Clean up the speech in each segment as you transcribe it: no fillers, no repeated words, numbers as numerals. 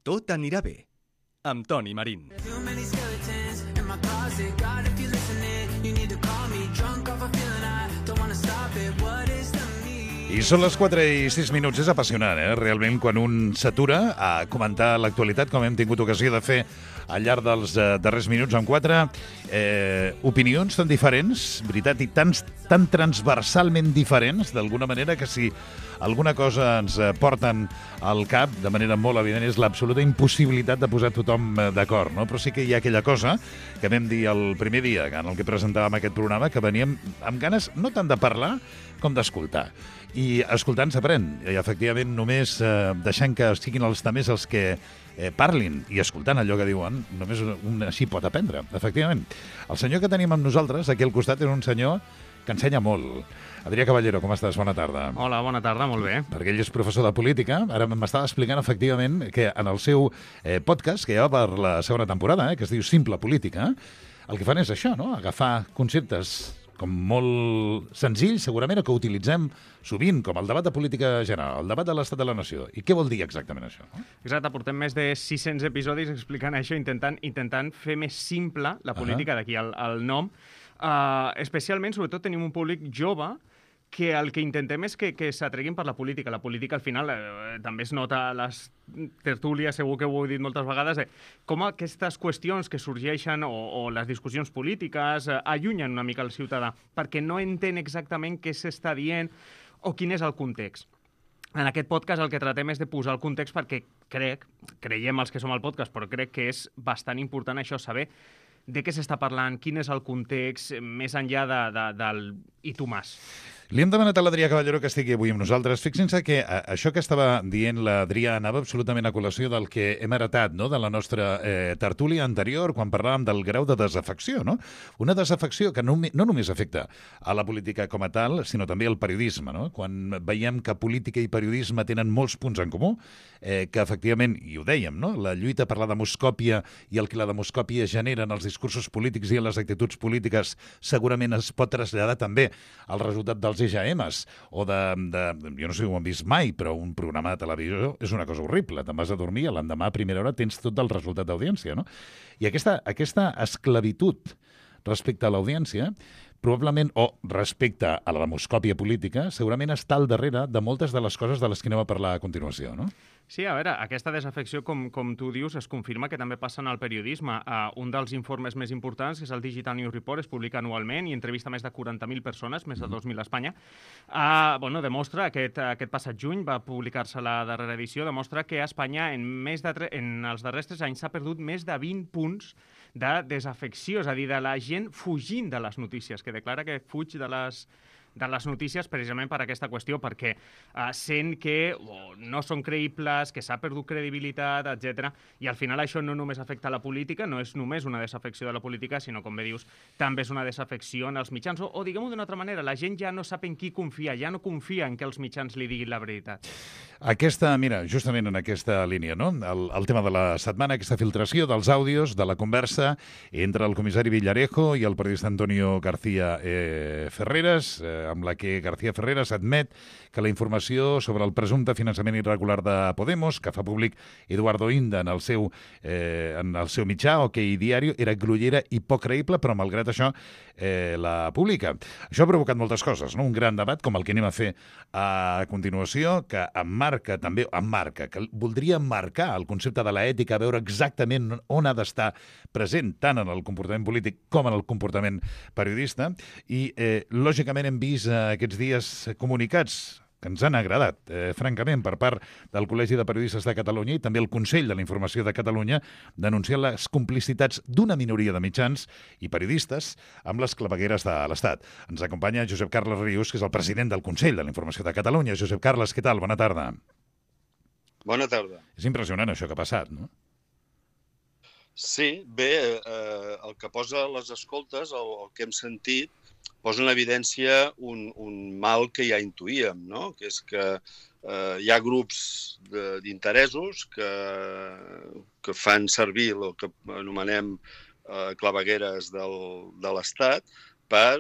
Tot anirà bé, amb Toni Marín. I són les 4 i 6 minuts. És apassionant, realment, quan un s'atura a comentar l'actualitat, com hem tingut ocasió de fer al llarg dels darrers minuts amb 4 opinions tan diferents, veritat, i tan transversalment diferents, d'alguna manera, que si alguna cosa ens porten al cap, de manera molt evident, és l'absoluta impossibilitat de posar tothom d'acord, no? Però sí que hi ha aquella cosa que vam dir el primer dia en el que presentàvem aquest programa, que veníem amb ganes no tant de parlar com d'escoltar. I escoltant s'aprèn, i efectivament només deixant que siguin els tamers els que parlin i escoltant allò que diuen, només un així pot aprendre, efectivament. El senyor que tenim amb nosaltres aquí al costat és un senyor que ensenya molt. Adrià Caballero, com estàs? Bona tarda. Hola, bona tarda, molt bé. Perquè ell és professor de política. Ara m'estava explicant, efectivament, que en el seu podcast, que ja va per la segona temporada, que es diu Simple Política, el que fan és això, no? Agafar conceptes com molt senzills, segurament, o que utilitzem sovint, com el debat de política general, el debat de l'estat de la nació. I què vol dir exactament això? Exacte, portem més de 600 episodis explicant això, intentant fer més simple la política, d'aquí el nom. Especialment, sobretot, tenim un públic jove que el que intentem és que s'atreguin per la política. La política, al final, també es nota a les tertúlies, segur que ho he dit moltes vegades, com aquestes qüestions que sorgeixen o les discussions polítiques allunyen una mica el ciutadà, perquè no entén exactament què s'està dient o quin és el context. En aquest podcast el que tratem és de posar el context perquè creiem els que som al podcast, però crec que és bastant important això, saber de què s'està parlant, quin és el context, més enllà del «i tu mas». Li hem demanat a l'Adrià Caballero que estigui avui amb nosaltres. Fixin-se que això que estava dient l'Adrià anava absolutament a col·lació del que hem heretat, no?, de la nostra tertúlia anterior, quan parlàvem del grau de desafecció, no? Una desafecció que no només afecta a la política com a tal, sinó també al periodisme, no? Quan veiem que política i periodisme tenen molts punts en comú, que efectivament, i ho dèiem, no?, la lluita per la demoscòpia i el que la demoscòpia genera en els discursos polítics i en les actituds polítiques segurament es pot traslladar també al resultat dels EGMs o jo no sé si ho han vist mai, però un programa de televisió és una cosa horrible. Te'n vas a dormir i l'endemà a primera hora tens tot el resultat d'audiència, no? I aquesta esclavitud respecte a l'audiència, probablement, o respecte a la demoscòpia política, segurament està al darrere de moltes de les coses de les que anem a parlar a continuació, no? Sí, a veure, aquesta desafecció, com tu dius, es confirma que també passa en el periodisme. Un dels informes més importants, que és el Digital News Report, es publica anualment i entrevista més de 40.000 persones, més de 2.000 a Espanya. Demostra, aquest passat juny va publicar-se la darrera edició, demostra que a Espanya en els darrers 3 anys s'ha perdut més de 20 punts de desafecció, és a dir, de la gent fugint de les notícies, que declara que fuig de les notícies precisament per aquesta qüestió, perquè sent que no són creïbles, que s'ha perdut credibilitat, etc. I al final això no només afecta la política, no és només una desafecció de la política, sinó, com bé dius, també és una desafecció en els mitjans. O diguem-ho d'una altra manera, la gent ja no sap en qui confiar, ja no confia en que els mitjans li diguin la veritat. Mira, justament en aquesta línia, no? El tema de la setmana, aquesta filtració dels àudios, de la conversa entre el comissari Villarejo i el periodista Antonio García Ferreras, amb la que García Ferreras admet que la informació sobre el presumpte finançament irregular de Podemos, que fa públic Eduardo Inda en el seu mitjà, OK Diario, era grollera i poc creïble, però malgrat això la publica. Això ha provocat moltes coses, no? Un gran debat, com el que anem a fer a continuació, que que voldria marcar el concepte de l'ètica, veure exactament on ha d'estar present, tant en el comportament polític com en el comportament periodista, i lògicament hem vist aquests dies comunicats que ens han agradat, francament, per part del Col·legi de Periodistes de Catalunya i també el Consell de la Informació de Catalunya, denunciant les complicitats d'una minoria de mitjans i periodistes amb les clavegueres de l'Estat. Ens acompanya Josep Carles Rius, que és el president del Consell de la Informació de Catalunya. Josep Carles, què tal? Bona tarda. Bona tarda. És impressionant això que ha passat, no? Sí, bé, el que posa les escoltes, el que hem sentit, posa en evidència un mal que ja intuïem, no? Que és que hi ha grups d'interessos que fan servir el que anomenem clavegueres de l'Estat per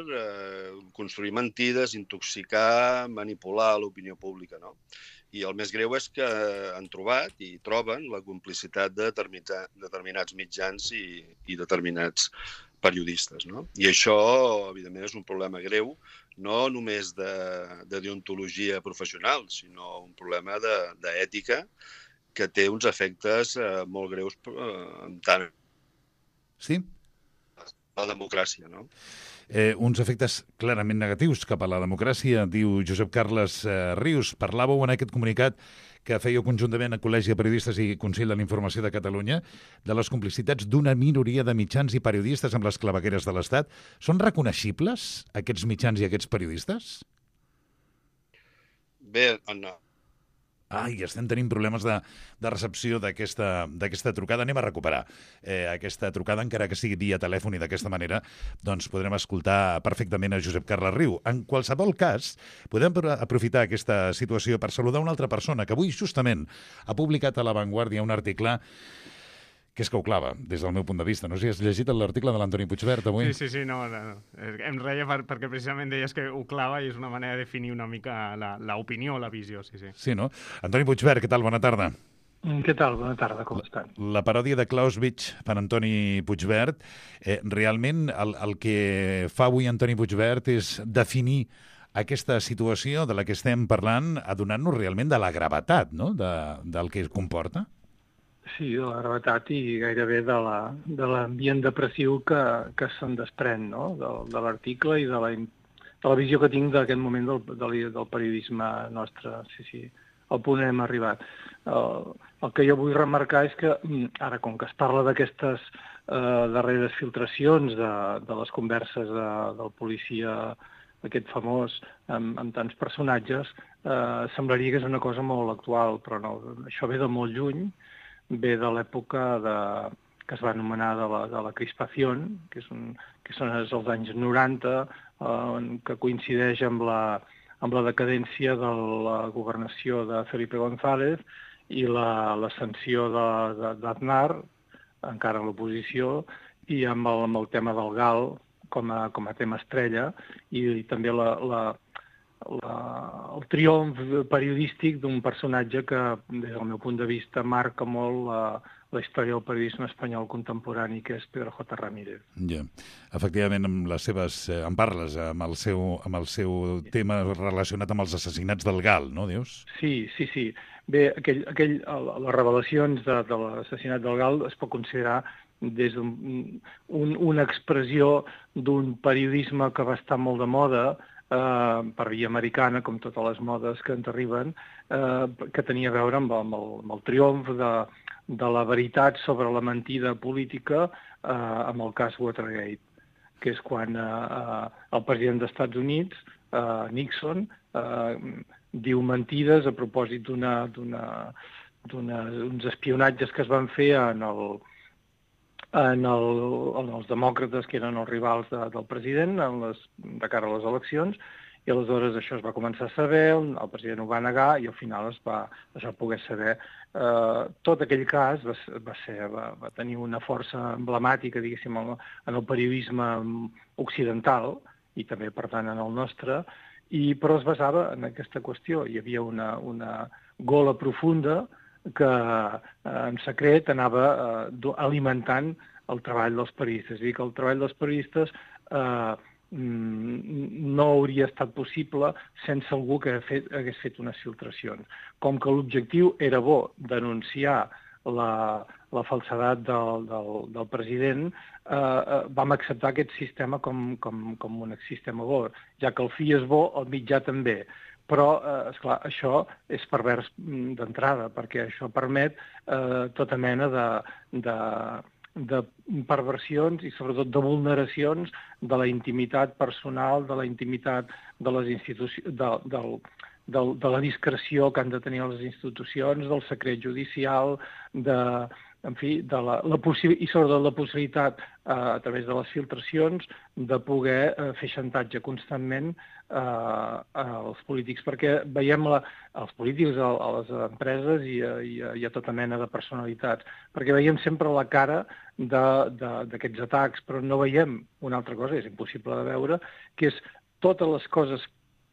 construir mentides, intoxicar, manipular l'opinió pública, no? I el més greu és que han trobat i troben la complicitat de determinats mitjans i determinats periodistes, no? I això, evidentment, és un problema greu, no només de deontologia professional, sinó un problema d'ètica que té uns efectes molt greus en tant Sí? la democràcia, no? Uns efectes clarament negatius cap a la democràcia, diu Josep Carles Rius. Parlàveu en aquest comunicat que fèieu conjuntament a Col·legi de Periodistes i Consell de la Informació de Catalunya de les complicitats d'una minoria de mitjans i periodistes amb les clavegueres de l'Estat. Són reconeixibles, aquests mitjans i aquests periodistes? Bé, Ai, estem tenint problemes de recepció d'aquesta trucada. Anem a recuperar aquesta trucada, encara que sigui via telèfon, i d'aquesta manera doncs podrem escoltar perfectament a Josep Carles Riu. En qualsevol cas, podem aprofitar aquesta situació per saludar una altra persona que avui justament ha publicat a La Vanguardia un article que és que ho clava, des del meu punt de vista. No sé si has llegit l'article de l'Antoni Puigvert avui. Sí, no. Em reia perquè precisament deies que ho clava i és una manera de definir una mica l'opinió, la visió, sí. Sí, no? Antoni Puigvert, què tal? Bona tarda. Què tal? Bona tarda, com estan? La paròdia de Clausewitz per Antoni Puigvert, realment el que fa avui Antoni Puigvert és definir aquesta situació de la que estem parlant, adonant-nos realment de la gravetat, no?, del que comporta. Sí, de la gravetat i gairebé de l'ambient depressiu que se'n desprèn, no?, de l'article i de la visió que tinc d'aquest moment del periodisme nostre. Sí, al punt hem arribat. El que jo vull remarcar és que ara, com que es parla d'aquestes darreres filtracions de les converses del policia, aquest famós, amb tants personatges, semblaria que és una cosa molt actual, però no, això ve de molt lluny, ve de l'època que es va anomenar de la crispació, que són els anys 90, que coincideix amb la decadència de la governació de Felipe González i l'ascensió d'Aznar, encara a l'oposició, i amb el tema del GAL com a tema estrella, i també el triomf periodístic d'un personatge que, des del meu punt de vista, marca molt la història del periodisme espanyol contemporani, que és Pedro J. Ramírez. Ja. Efectivament, en parles amb el seu tema relacionat amb els assassinats del GAL, no, dius? Sí. Bé, les revelacions de l'assassinat del GAL es pot considerar des d'una expressió d'un periodisme que va estar molt de moda, per via americana, com totes les modes que ens arriben, que tenia a veure amb el triomf de la veritat sobre la mentida política amb el cas Watergate, que és quan el president dels Estats Units, Nixon, diu mentides a propòsit d'uns espionatges que es van fer en els demòcrates, que eren els rivals del president, de cara a les eleccions, i aleshores això es va començar a saber, el president ho va negar i al final es va poder saber. Tot aquell cas va tenir una força emblemàtica, diguéssim, en el periodisme occidental i també, per tant, en el nostre, però es basava en aquesta qüestió. Hi havia una gola profunda que en secret anava alimentant el treball dels periodistes. És a dir, que el treball dels periodistes no hauria estat possible sense algú que hagués fet unes filtracions. Com que l'objectiu era bo, denunciar la falsedat del president, vam acceptar aquest sistema com un sistema bo. Ja que el fi és bo, el mitjà també. Però, esclar, això és pervers d'entrada, perquè això permet tota mena de perversions i sobretot de vulneracions de la intimitat personal, de la intimitat de les institucions, de la discreció que han de tenir les institucions, del secret judicial, i sobretot la possibilitat, a través de les filtracions, de poder fer xantatge constantment als polítics, perquè veiem els polítics, a les empreses i a tota mena de personalitats, perquè veiem sempre la cara d'aquests atacs, però no veiem una altra cosa, és impossible de veure, que és totes les coses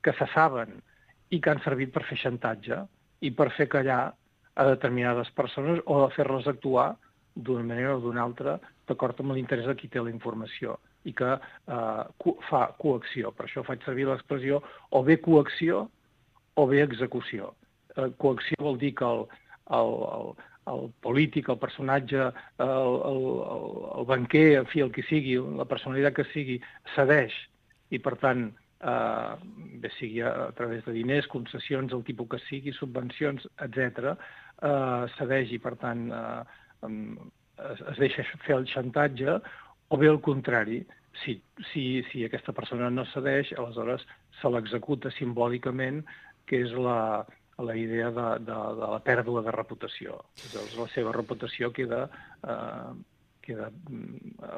que se saben i que han servit per fer xantatge, i per fer callar a determinades persones o a fer-les actuar d'una manera o d'una altra d'acord amb l'interès de qui té la informació i que fa coacció. Per això faig servir l'expressió o bé coacció o bé execució. Coacció vol dir que el polític, el personatge, el banquer, en fi, el que sigui, la personalitat que sigui, cedeix i, per tant, bé sigui a través de diners, concessions, el tipus que sigui, subvencions, etc., cedeix i, per tant, es deixa fer el xantatge, o bé al contrari, si aquesta persona no cedeix, aleshores se l'executa simbòlicament, que és la idea de la pèrdua de reputació. Llavors, la seva reputació queda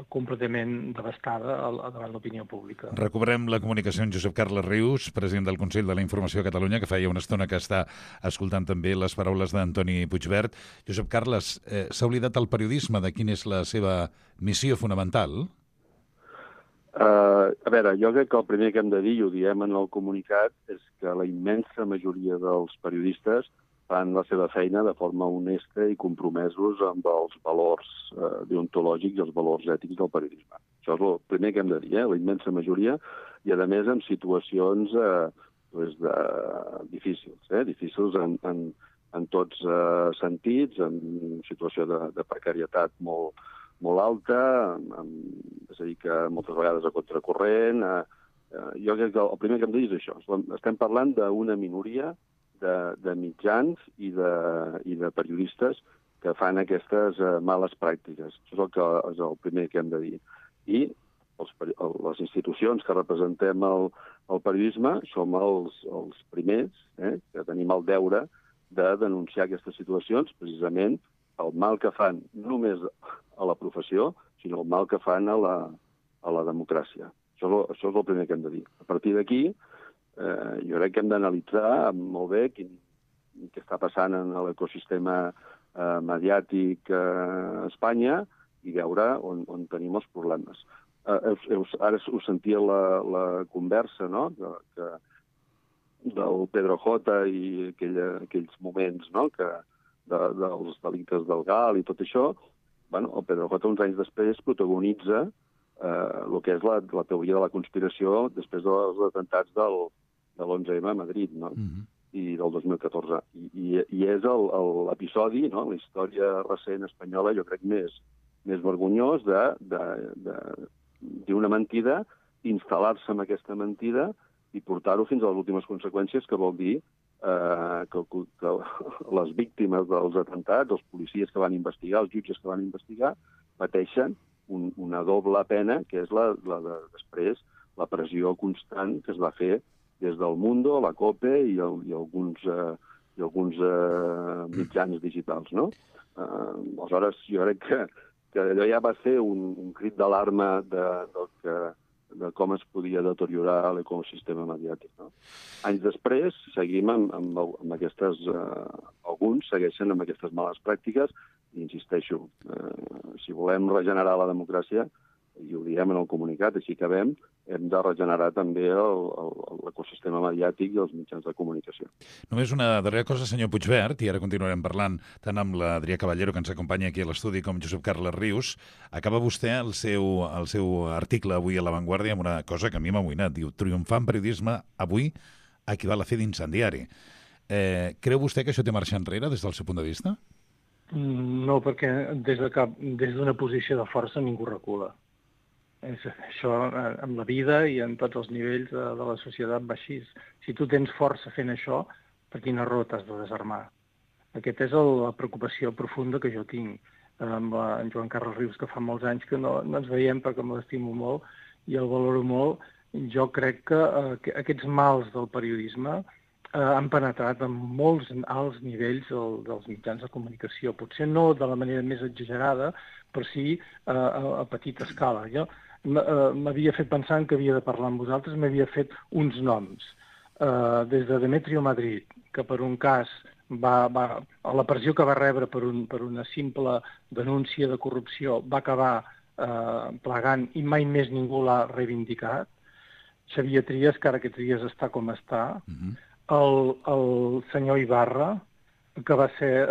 completament devastada davant l'opinió pública. Recuperem la comunicació amb Josep Carles Rius, president del Consell de la Informació a Catalunya, que feia una estona que està escoltant també les paraules d'Antoni Puigvert. Josep Carles, s'ha oblidat el periodisme de quina és la seva missió fonamental? A veure, jo crec que el primer que hem de dir, i ho diem en el comunicat, és que la immensa majoria dels periodistes fan la seva feina de forma honesta i compromesos amb els valors deontològics i els valors ètics del periodisme. Això és el primer que hem de dir, la immensa majoria, i a més en situacions difícils, difícils en tots sentits, en situació de precarietat molt alta, és a dir, que moltes vegades a contracorrent. Jo crec que el primer que hem de dir és això. Estem parlant d'una minoria de mitjans i de periodistes que fan aquestes males pràctiques. Això és el primer que hem de dir. I les institucions que representem el periodisme som els primers que tenim el deure de denunciar aquestes situacions, precisament el mal que fan només a la professió, sinó el mal que fan a la democràcia. Això és el primer que hem de dir. A partir d'aquí, jo crec que hem d'analitzar molt bé què està passant en l'ecosistema mediàtic a Espanya i veure on tenim els problemes. Ara us sentia la conversa, no?, del Pedro J i aquells moments, no?, dels delictes del GAL i tot això. El Pedro J, uns anys després, protagonitza el que és la teoria de la conspiració després dels atemptats de l'11M a Madrid, no? I del 2014. I és l'episodi, no?, la història recent espanyola, jo crec, més vergonyós d'una mentida, instal·lar-se en aquesta mentida i portar-ho fins a les últimes conseqüències, que vol dir que les víctimes dels atemptats, els policies que van investigar, els jutges que van investigar, pateixen una doble pena, que és després la pressió constant que es va fer des del Mundo, la COPE i alguns mitjans digitals, no? Aleshores, jo crec que allò ja va ser un crit d'alarma de com es podia deteriorar l'ecosistema mediàtic, no? Anys després, seguim amb aquestes... Alguns segueixen amb aquestes males pràctiques i, insisteixo, si volem regenerar la democràcia, i ho diem en el comunicat, així que hem de regenerar també l'ecosistema mediàtic i els mitjans de comunicació. Només una darrera cosa, senyor Puigvert, i ara continuarem parlant tant amb l'Adrià Caballero, que ens acompanya aquí a l'estudi, com Josep Carles Rius. Acaba vostè el seu article avui a La Vanguardia amb una cosa que a mi m'ha amoïnat. Diu, triomfar en periodisme avui equival a fer d'incendiari. Creu vostè que això té marxa enrere des del seu punt de vista? No, perquè des d'una posició de força ningú recula. Això en la vida i en tots els nivells de la societat va així. Si tu tens força fent això, per quina raó t'has de desarmar? Aquesta és la preocupació profunda que jo tinc amb en Joan Carles Rius, que fa molts anys que no ens veiem perquè l'estimo molt i el valoro molt. Jo crec que aquests mals del periodisme han penetrat en molts alts nivells dels mitjans de comunicació. Potser no de la manera més exagerada, però sí a petita escala. Jo m'havia fet pensant que havia de parlar amb vosaltres, m'havia fet uns noms. Des de Demetrio Madrid, que per un cas la pressió que va rebre per una simple denúncia de corrupció va acabar plegant i mai més ningú l'ha reivindicat. Xavier Trias, que ara aquests dies està com està. El senyor Ibarra, que va ser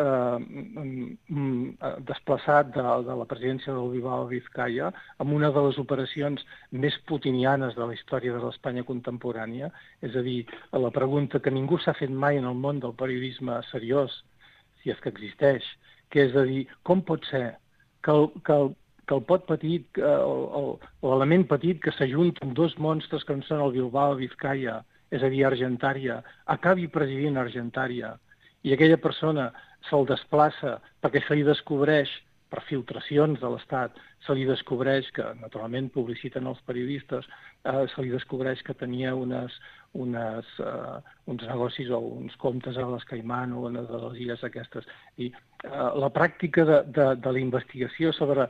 desplaçat de la presidència del Bilbao Vizcaya amb una de les operacions més putinianes de la història de l'Espanya contemporània. És a dir, la pregunta que ningú s'ha fet mai en el món del periodisme seriós, si és que existeix, que és a dir, com pot ser que el pot petit, l'element petit que s'ajunta amb dos monstres que són el Bilbao Vizcaya, és a dir, Argentària, acabi presidint Argentària, i aquella persona se'l desplaça perquè se li descobreix, per filtracions de l'Estat, se li descobreix que, naturalment, publiciten els periodistes, se li descobreix que tenia uns negocis o uns comptes a les Caimán o a les illes aquestes. I la pràctica de la investigació sobre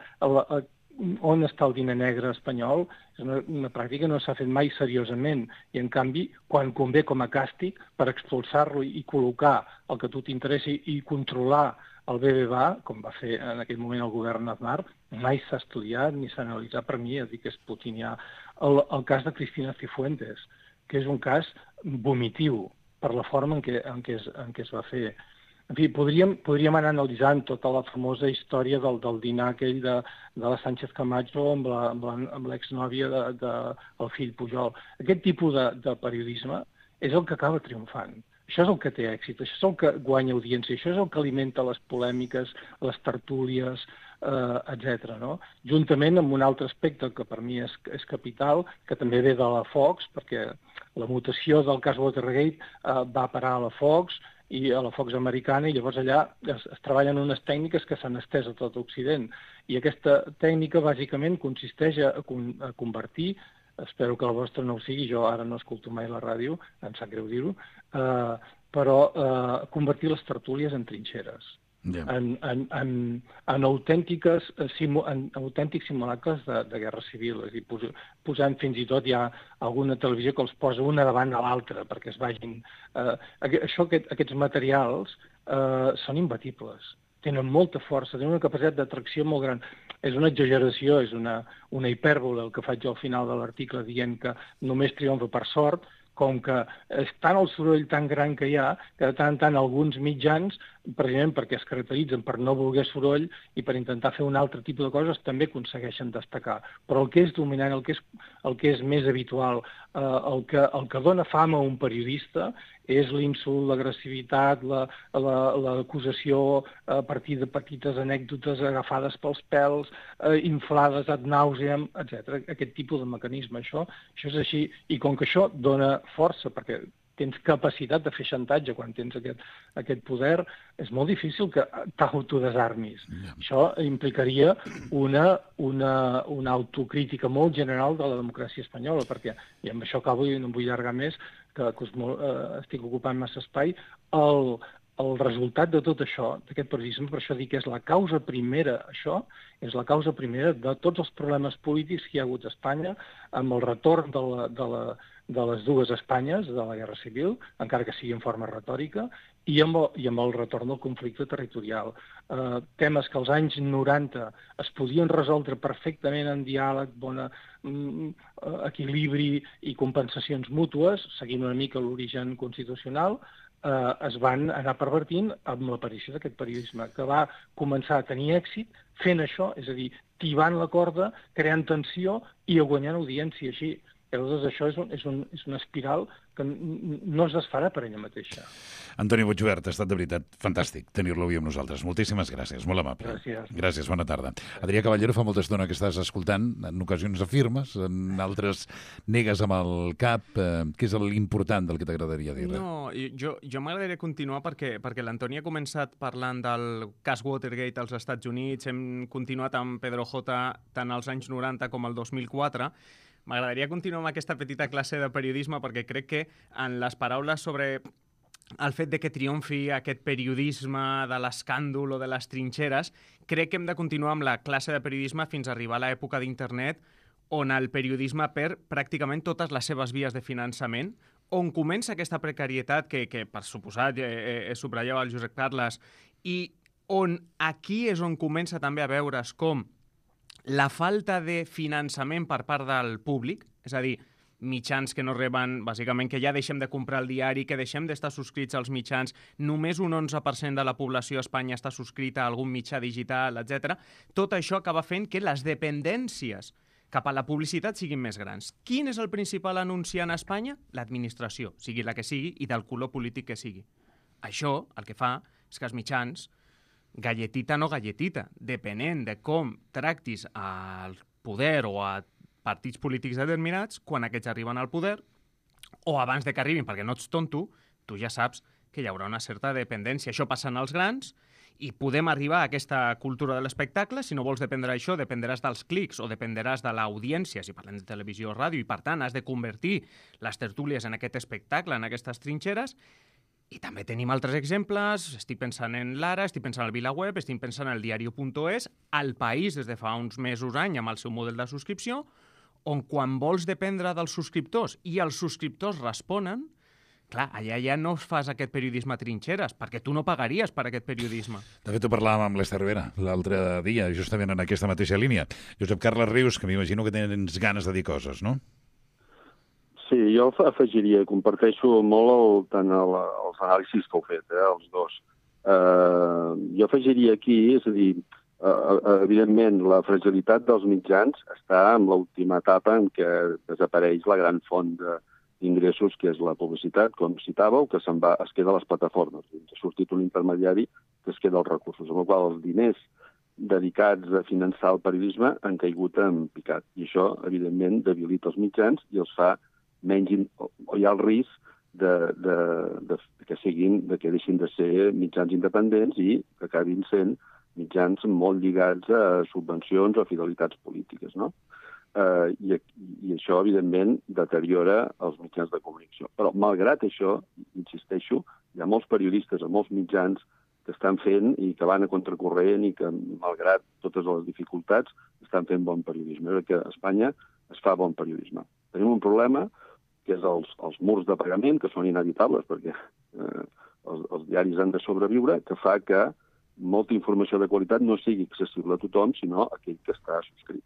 on està el diner negre espanyol és una pràctica que no s'ha fet mai seriosament i, en canvi, quan convé com a càstig per expulsar-lo i col·locar el que a tu t'interessi i controlar el BBVA, com va fer en aquell moment el govern Aznar, mai s'ha estudiat ni s'ha analitzat. Per mi, que és putinià. El cas de Cristina Cifuentes, que és un cas vomitiu per la forma en què es va fer. En fi, podríem anar analitzant tota la famosa història del dinar aquell de la Sánchez Camacho amb l'exnòvia del fill Pujol. Aquest tipus de periodisme és el que acaba triomfant. Això és el que té èxit, això és el que guanya audiència, això és el que alimenta les polèmiques, les tertúlies, etc. No? Juntament amb un altre aspecte que per mi és capital, que també ve de la Fox, perquè la mutació del cas Watergate va parar a la Fox i a la Fox americana, i llavors allà es treballen unes tècniques que s'han estès a tot Occident. I aquesta tècnica bàsicament consisteix a convertir, espero que la vostra no ho sigui, jo ara no escolto mai la ràdio, em sap greu dir-ho, però convertir les tertúlies en trinxeres, en autèntics simulacres de guerra civil, és a dir, posant fins i tot ja alguna televisió que els posa una davant de l'altra perquè es vagin... Aquests materials són imbatibles, tenen molta força, tenen una capacitat d'atracció molt gran. És una exageració, és una hipèrbole el que faig al final de l'article dient que només triomfa per sort, com que és tant el soroll tan gran que hi ha, que de tant en tant alguns mitjans, precisament perquè es caracteritzen per no voler soroll i per intentar fer un altre tipus de coses, també aconsegueixen destacar. Però el que és dominant, el que és més habitual, el que dona fama a un periodista és l'insult, l'agressivitat, l'acusació a partir de petites anècdotes agafades pels pèls, inflades ad nauseam, etc. Aquest tipus de mecanisme. Això és així. I com que això dona força, perquè tens capacitat de fer xantatge quan tens aquest poder, és molt difícil que t'autodesarmis. Això implicaria una autocrítica molt general de la democràcia espanyola, perquè, i amb això acabo i no em vull allargar més, que estic ocupant massa espai, el resultat de tot això, d'aquest periodisme, per això dic que és la causa primera, això és la causa primera de tots els problemes polítics que hi ha hagut a Espanya, amb el retorn de les dues Espanyes, de la Guerra Civil, encara que sigui en forma retòrica, i amb el retorn del conflicte territorial. Temes que als anys 90 es podien resoldre perfectament en diàleg, bon equilibri i compensacions mútues, seguint una mica l'origen constitucional, es van anar pervertint amb l'aparició d'aquest periodisme, que va començar a tenir èxit fent això, és a dir, tibant la corda, creant tensió i guanyant audiència així. Llavors, això és una espiral que no es desfarà per ella mateixa. Antoni Puigvert, ha estat de veritat fantàstic tenir-lo avui amb nosaltres. Moltíssimes gràcies, molt amable. Gràcies. Gràcies, bona tarda. Adrià Caballero, fa molta estona que estàs escoltant, en ocasions afirmes, en altres negues amb el cap. Què és l'important del que t'agradaria dir? No, jo m'agradaria continuar perquè l'Antoni ha començat parlant del cas Watergate als Estats Units, hem continuat amb Pedro J tant als anys 90 com al 2004. M'agradaria continuar amb aquesta petita classe de periodisme perquè crec que en les paraules sobre el fet de que triomfi aquest periodisme de l'escàndol o de les trinxeres, crec que hem de continuar amb la classe de periodisme fins a arribar a l'època d'internet on el periodisme perd pràcticament totes les seves vies de finançament, on comença aquesta precarietat que per suposat, subratllava el Josep Carles, i on aquí és on comença també a veure's com la falta de finançament per part del públic, és a dir, mitjans que no reben, bàsicament que ja deixem de comprar el diari, que deixem d'estar subscrits als mitjans, només un 11% de la població a Espanya està subscrita a algun mitjà digital, etc. Tot això acaba fent que les dependències cap a la publicitat siguin més grans. Quin és el principal anunciant a Espanya? L'administració, sigui la que sigui i del color polític que sigui. Això el que fa és que els mitjans, galletita no galletita, depenent de com tractis al poder o a partits polítics determinats, quan aquests arriben al poder, o abans de que arribin, perquè no ets tonto, tu ja saps que hi haurà una certa dependència. Això passa en els grans, i podem arribar a aquesta cultura de l'espectacle. Si no vols dependre d'això, dependràs dels clics o dependràs de l'audiència, si parlem de televisió o ràdio, i per tant has de convertir les tertúlies en aquest espectacle, en aquestes trinxeres. I també tenim altres exemples, estic pensant en l'Ara, estic pensant en el VilaWeb, estic pensant en el diario.es, al País des de fa uns mesos, any, amb el seu model de subscripció, on quan vols dependre dels subscriptors i els subscriptors responen, clar, allà ja no fas aquest periodisme a trinxeres, perquè tu no pagaries per aquest periodisme. De fet, ho parlàvem amb l'Ester Vera l'altre dia, justament en aquesta mateixa línia. Josep Carles Rius, que m'imagino que tens ganes de dir coses, no? Sí, jo afegiria, comparteixo molt tant els anàlisis que heu fet, els dos. Jo afegiria aquí, és a dir, evidentment, la fragilitat dels mitjans està en l'última etapa en què desapareix la gran font d'ingressos, que és la publicitat, com citàveu, que es queda a les plataformes. Ha sortit un intermediari que es queda als recursos, amb la qual els diners dedicats a finançar el periodisme han caigut en picat. I això, evidentment, debilita els mitjans i els fa menys... o hi ha el risc que deixin de ser mitjans independents i que acabin sent mitjans molt lligats a subvencions o fidelitats polítiques, no? I això, evidentment, deteriora els mitjans de comunicació. Però, malgrat això, insisteixo, hi ha molts periodistes a molts mitjans que estan fent i que van a contracorrent i que, malgrat totes les dificultats, estan fent bon periodisme. Perquè a Espanya es fa bon periodisme. Tenim un problema, que és els murs de pagament, que són inevitables, perquè els diaris han de sobreviure, que fa que molta informació de qualitat no sigui accessible a tothom, sinó a aquell que està subscrit.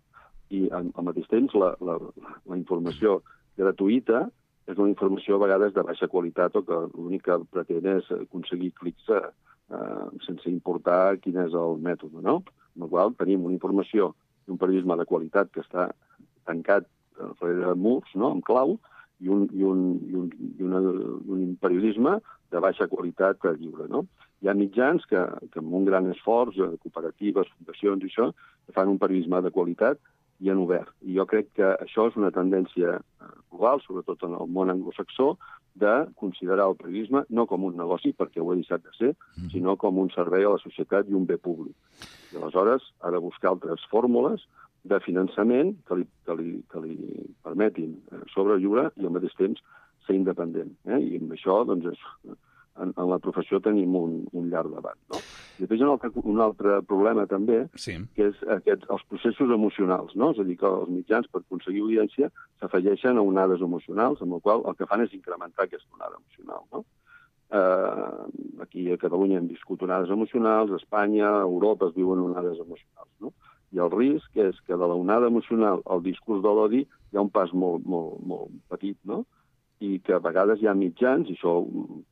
I al mateix temps la informació gratuïta és una informació a vegades de baixa qualitat o que l'únic que pretén és aconseguir clics sense importar quin és el mètode, no? Amb la qual tenim una informació i un periodisme de qualitat que està tancat darrere murs, no?, amb clau, i un periodisme de baixa qualitat lliure, no? Hi ha mitjans que amb un gran esforç, cooperatives, fundacions i això, que fan un periodisme de qualitat i en obert. I jo crec que això és una tendència global, sobretot en el món anglosaxó, de considerar el periodisme no com un negoci, perquè ho ha deixat de ser, sinó com un servei a la societat i un bé públic. I aleshores ha de buscar altres fórmules de finançament que li permetin sobreviure i al mateix temps ser independent. I amb això, doncs, en la professió tenim un llarg debat, no? I després hi ha un altre problema també, sí, que és els processos emocionals, no? És a dir, que els mitjans, per aconseguir audiència, s'afegeixen a onades emocionals, amb la qual el que fan és incrementar aquesta onada emocional, no? Aquí a Catalunya hem viscut onades emocionals, a Espanya, a Europa es viuen onades emocionals, no? I el risc és que de la onada emocional al discurs de l'odi hi ha un pas molt petit, no? I que a vegades hi ha mitjans, i això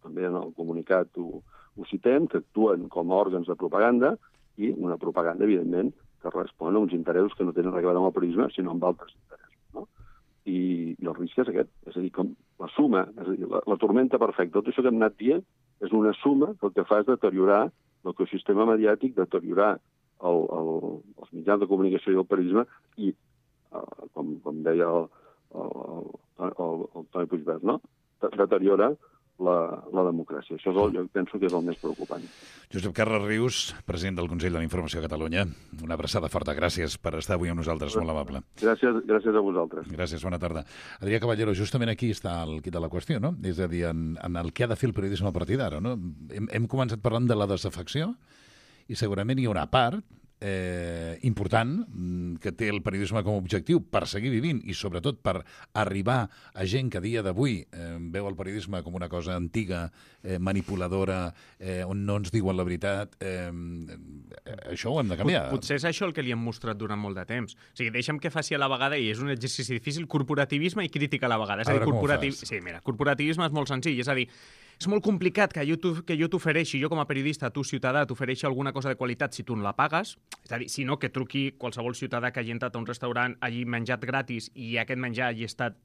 també en el comunicat ho citem, que actuen com a òrgans de propaganda, i una propaganda, evidentment, que respon a uns interessos que no tenen res a veure amb el periodisme, sinó amb altres interessos, no? I el risc és aquest, és a dir, com la suma, és a dir, la tormenta perfecta. Tot això que hem anat dient és una suma que el que fa és deteriorar l'ecosistema mediàtic, deteriorar els mitjans de comunicació i el periodisme, i, com deia el Toni Puigverd, no? Deteriora la democràcia. Això jo penso que és el més preocupant. Josep Carles Rius, president del Consell de la Informació a Catalunya, una abraçada forta. Gràcies per estar avui amb nosaltres, molt amable. Gràcies a vosaltres. Gràcies, bona tarda. Adrià Caballero, justament aquí està el quid de la qüestió, no? És a dir, en el que ha de fer el periodisme a partir d'ara, no? Hem començat parlant de la desafecció i segurament hi ha una part important que té el periodisme com a objectiu per seguir vivint i sobretot per arribar a gent que a dia d'avui veu el periodisme com una cosa antiga, manipuladora, on no ens diuen la veritat, això ho hem de canviar. Potser és això el que li hem mostrat durant molt de temps. O sigui, deixa'm que faci a la vegada, i és un exercici difícil, corporativisme i crítica a la vegada. És a dir, sí, mira, corporativisme és molt senzill, és a dir, és molt complicat que jo t'ofereixi, jo com a periodista, tu ciutadà, t'ofereixi alguna cosa de qualitat si tu no la pagues. És a dir, si no, que truqui qualsevol ciutadà que hagi entrat a un restaurant, hagi menjat gratis i aquest menjar hagi estat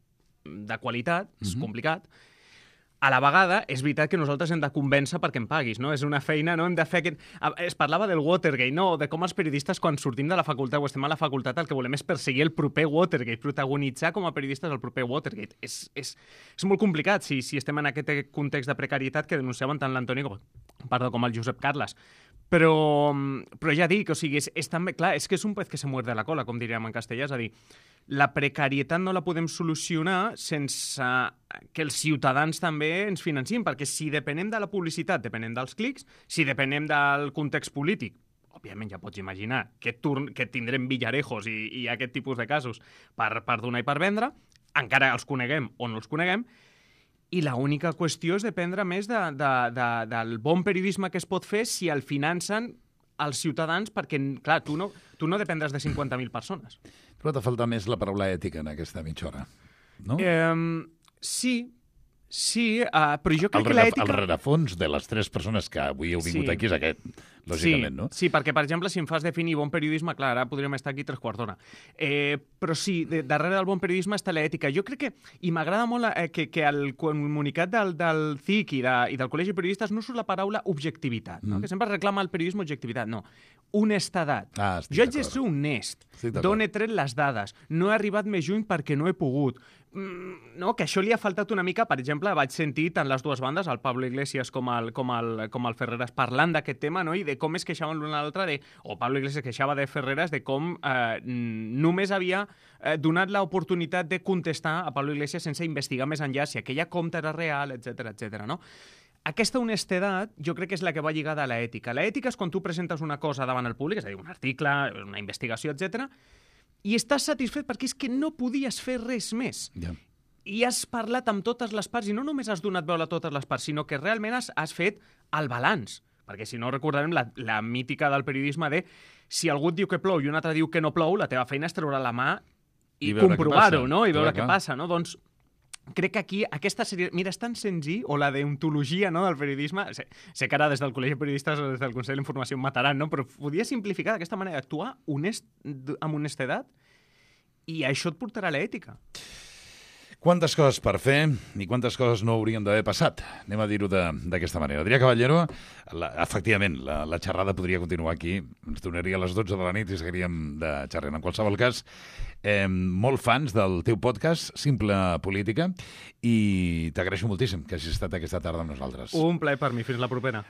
de qualitat, és complicat. A la vegada, és veritat que nosaltres hem de convèncer perquè em paguis, no? És una feina, no? Hem de fer aquest... Es parlava del Watergate, no? De com els periodistes, quan sortim de la facultat o estem a la facultat, el que volem és perseguir el proper Watergate, protagonitzar com a periodistes el proper Watergate. És molt complicat si estem en aquest context de precarietat que denunciaven tant l'Antoni com el Josep Carles. Però ja dic, o sigui, és també, clar, és que és un pez que se muerde la cola, com diríem en castellà, és a dir, la precarietat no la podem solucionar sense que els ciutadans també ens financin, perquè si depenem de la publicitat, depenem dels clics, si depenem del context polític, òbviament ja pots imaginar que tindrem Villarejos i aquest tipus de casos per donar i per vendre, encara els coneguem o no els coneguem, i l'única qüestió és dependre més del bon periodisme que es pot fer si el financen els ciutadans, perquè, clar, tu no dependràs de 50.000 persones. Però t'ha faltat més la paraula ètica en aquesta mitja hora, no? Sí, però jo crec que l'ètica... El rerefons de les 3 persones que avui heu vingut aquí és aquest, lògicament, no? Sí, perquè, per exemple, si em fas definir bon periodisme, clar, ara podríem estar aquí 3/4 d'hora. Però sí, darrere del bon periodisme està l'ètica. Jo crec que, i m'agrada molt que al comunicat del CIC i del Col·legi de Periodistes no surt la paraula objectivitat, no? Que sempre reclama el periodisme objectivitat. No, honestedat. Jo haig de ser honest. D'on he tret les dades? No he arribat més lluny perquè no he pogut. No, que això li ha faltat una mica. Per exemple, vaig sentir tant les dues bandes, el Pablo Iglesias com el Ferreras, parlant d'aquest tema, no? I de com es queixaven l'un a l'altre, o Pablo Iglesias queixava de Ferreras de com només havia donat l'oportunitat de contestar a Pablo Iglesias sense investigar més enllà si aquella compta era real, etc., no? Aquesta honestedat jo crec que és la que va lligada a l'ètica. L'ètica és quan tu presentes una cosa davant el públic, és a dir, un article, una investigació, etc., i estàs satisfet perquè és que no podies fer res més. Ja. I has parlat amb totes les parts, i no només has donat veu a totes les parts, sinó que realment has fet el balanç. Perquè si no recordarem la mítica del periodisme de si algú et diu que plou i un altre diu que no plou, la teva feina és treure la mà i comprovar-ho, no? I veure què passa, no? Doncs crec que aquí aquesta sèrie... Mira, és tan senzill, o la deontologia, no, del periodisme... Sé que ara des del Col·legi de Periodistes o des del Consell d'Informació em mataran, no? Però podia simplificar d'aquesta manera, actuar amb honestedat, i això et portarà a l'ètica. Quantes coses per fer i quantes coses no haurien d'haver passat. Anem a dir-ho d'aquesta manera. Adrià Caballero, efectivament, la xerrada podria continuar aquí. Ens donaria a les 12 de la nit i seguiríem de xerrant. En qualsevol cas, molt fans del teu podcast, Simple Política, i t'agraeixo moltíssim que hagis estat aquesta tarda amb nosaltres. Un plaer per mi. Fins la propera.